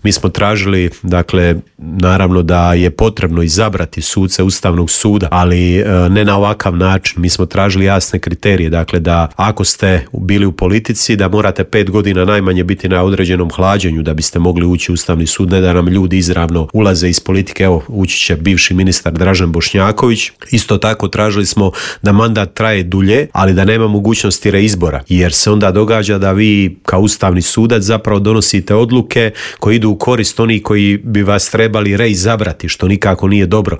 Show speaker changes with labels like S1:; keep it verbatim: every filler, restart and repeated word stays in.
S1: Mi smo tražili, dakle, naravno da je potrebno izabrati suce Ustavnog suda, ali ne na ovakav način. Mi smo tražili jasne kriterije, dakle da ako ste bili u politici da morate pet godina najmanje biti na određenom hlađenju da biste mogli ući u Ustavni sud, ne da nam ljudi izravno ulaze iz politike. Evo, ući će bivši ministar Dražen Bošnjaković. Isto tako tražili smo da mandat traje dulje, ali da nema mogućnosti reizbora, jer se onda događa da vi kao ustavni sudac zapravo donosite odluke koje idu u korist onih koji bi vas trebali reizabrati, što nikako nije dobro.